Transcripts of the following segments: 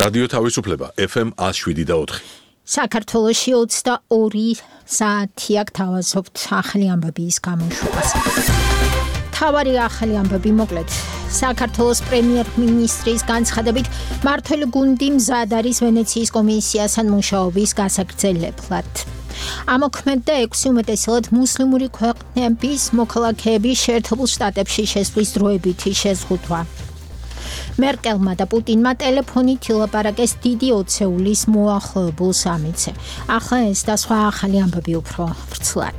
რადიო თავისუფლება FM 107.4. საქართველოში 22 საათი აქ თავაზობთ ახალი ამბების გამოშვებას. თავარი ახალი ამბები მოკლედ. საქართველოს პრემიერ-მინისტრის განცხადებით მმართველი გუნდი მზად არის ვენეციის კომისიასთან მუშაობის გასაგრძელებლად. ამოქმედდა 6 უმეტესად მუსლიმური ქვეყნების მოქალაქეების შეერთებულ შტატებში შესვლის დროებითი შეზღუდვა. მერკელმა და პუტინმა ტელეფონით ილაპარაკეს დიდი ოცეულის მოახლოებულ სამიტზე. ახლა ეს და სხვა ახალი ამბები უფრო ვრცლად.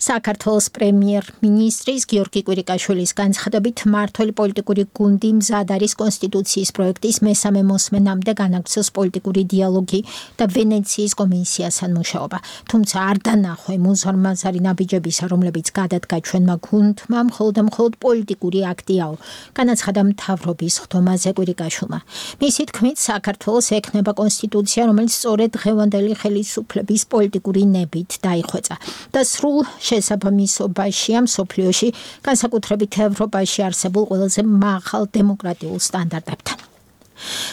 საქართველოს პრემიერ-მინისტრის გიორგი კვირიკაშვილის განცხადებით მმართველი პოლიტიკური გუნდი მზად არის კონსტიტუციის პროექტის მესამე მოსმენამდე განაგრძოს პოლიტიკური დიალოგი და ვენეციის კომისიასთან მუშაობა. თუმცა არ დანახვა უზარმაზარი ნაბიჯებისა, რომლებიც გადადგა ჩვენმა გუნდმა, მხოლოდ პოლიტიკური აქტიაო, განაცხადა მთავრობის ხდომაზე კვირიკაშვილმა. მისი თქმით, საქართველოს ექნება კონსტიტუცია, რომელიც სწორედ დღევანდელი ხელისუფლების პოლიტიკური ნებით დაიხვეწა და სრულ შესაბამისობაშია მსოფლიოში, განსაკუთრებით ევროპაში არსებულ ყველაზე მაღალ დემოკრატიულ სტანდარტებთან.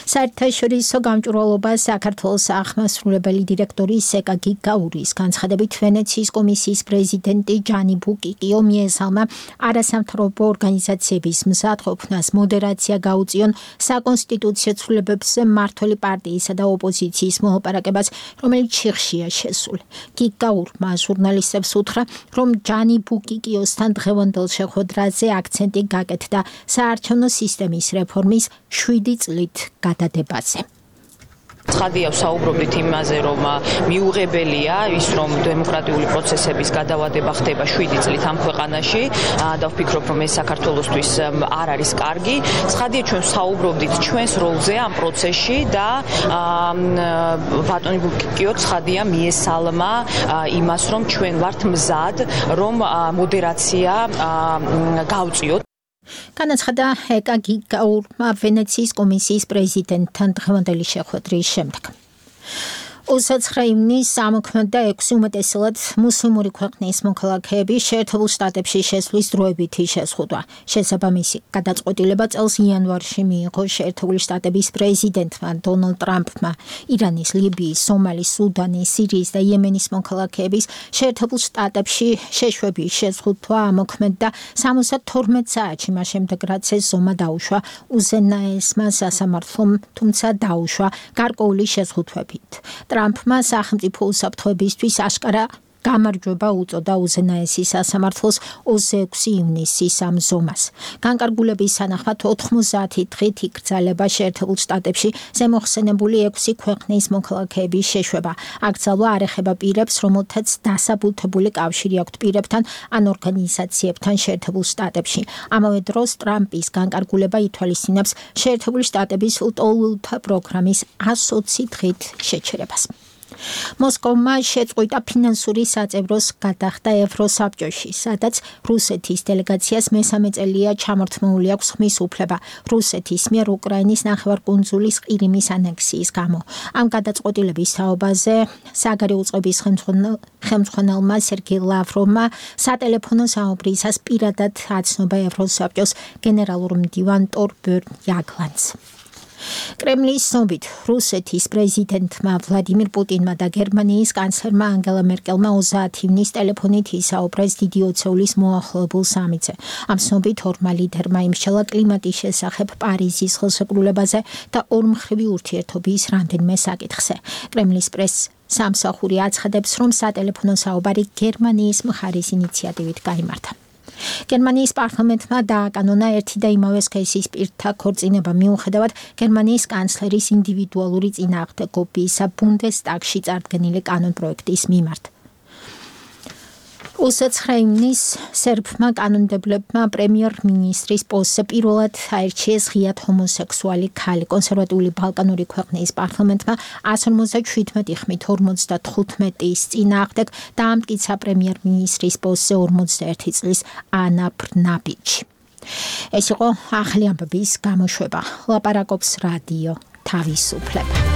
საერთაშორისო გამჭვირვალობას საქართველოს აღმასრულებელი დირექტორი სეკა გიგაურის განცხადებით ვენეციის კომისიის პრეზიდენტი ჯანი ბუკიკიო მიესალმა არასამთავრობო ორგანიზაციების მზადყოფნას მოდერაცია გაუწიონ საკონსტიტუციო ცვლილებებზე მმართველი პარტიისა და ოპოზიციის მოლაპარაკებას, რომელიც ჩიხშია შესული. გიგაურმა ჟურნალისტებს უთხრა, რომ ჯანი ბუკიკიოსთან დღევანდელ შეხვედრაზე აქცენტი გაკეთდა საარჩევნო სისტემის რეფორმის 7 წლით გადადებაზე. ცხადია ვსაუბრობთ იმაზე, რომ მიუღებელია ის, რომ დემოკრატიული პროცესების გადავადება ხდება 7 წლით ამ ქვეყანაში და ვფიქრობ, რომ ეს საქართველოსთვის არ არის კარგი. ცხადია ჩვენ ვსაუბრობთ ჩვენს როლზე ამ პროცესში და ბატონი ბუკიკიო ცხადია მიესალმა იმას, რომ ჩვენ ვართ მზად, რომ მოდერაცია გავწიოთ. განაცხადა ეკა გიგაურმა ვენეციის კომისიის პრეზიდენტთან დღევანდელი შეხვედრის შემდეგ. 29 ივნისს ამოქმედდა 6 უმეტესად მუსლიმური ქვეყნის მოქალაქეების შეერთებულ შტატებში შესვლის დროებითი შეზღუდვა. შესაბამისი გადაწყვეტილება წელს იანვარში მიიღო შეერთებული შტატების პრეზიდენტმა დონალდ ტრამპმა ირანის, ლიბიის, სომალის, სუდანის, სირიის და იემენის მოქალაქეების შეერთებულ შტატებში შეშვების შეზღუდვა ამოქმედდა 72 საათში მას შემდეგ, რაც ეს ზომა დაუშვა უზენაესმა სასამართლომ, თუმცა დაუშვა გარკვეული შეზღუდვებით. ტრამპმა სახელმწიფო უსაფრთხოებისთვის აშკარა გამარჯვება უწოდა უზენაესი სასამართლოს 26 ივნისის ამ ზომას. განკარგულების სანახმად 90 დღით იკრძალება შეერთებულ შტატებში ზემოხსენებული 6 ქვეყნის მოქალაქეების შეშვება. აკრძალვა არ ეხება პირებს, რომელთაც დასაბუთებული კავშირი აქვთ პირებთან ან ორგანიზაციებთან შეერთებულ შტატებში. ამავე დროს ტრამპის განკარგულება ითვალისწინებს შეერთებული შტატების ლტოლვილთა პროგრამის 120 დღით შეჩერებას. მოსკოვმა შეწყვიტა ფინანსური საწევროს გადახდა ევროსაბჭოში, სადაც რუსეთის დელეგაციას მესამე წელია ჩამორთმეული აქვს ხმის უფლება რუსეთის მიერ უკრაინის ნახევარკუნძულის ყირიმის ანექსიის გამო. ამ გადაწყვეტილების თაობაზე საგარეო წყობის ხელმძღვანელმა სერგეი ლავროვმა სატელეფონო საუბრისას პირადად აცნობა ევროსაბჭოს გენერალურ მდივან ტორბერნ იაგლანს. კრემლის ცნობით, რუსეთის პრეზიდენტმა ვლადიმირ პუტინმა და გერმანიის კანცლერმა ანგელა მერკელმა 30 ივნისს ტელეფონით ისაუბრეს დიდი ოცეულის მოახლოებულ სამიტზე. ამ ცნობით ორმა ლიდერმა იმსჩელა კლიმატის შესახებ პარიზის ხელშეკრულებაზე და ორმხრივი ურთიერთობის რამდენიმე საკითხზე. კრემლის პრესს სამსახური აცხადებს, რომ სატელეფონო საუბარი გერმანიის მხარის ინიციატივით გაიმართა. გერმანიის პარლამენტმა დააკანონა ერთი და იმავე სქესის პირთა ქორწინება მიუხედავად გერმანიის კანცლერის ინდივიდუალური წინააღმდეგობისა ბუნდესტაგში წარდგენილი კანონპროექტის მიმართ. 29 ივნისს სერბმა კანონმდებლებმა პრემიერ-მინისტრის პოსტზე პირველად აირჩიეს ღიად ჰომოსექსუალი ქალი. კონსერვატიული ბალკანური ქვეყნის პარლამენტმა 157 ხმით 55-ის წინააღმდეგ დაამტკიცა პრემიერ-მინისტრის პოსტზე 41 წლის ანა ბრნაბიჩი. ეს იყო ახალი ამბების გამოშვება. ლაპარაკობს რადიო თავისუფლება.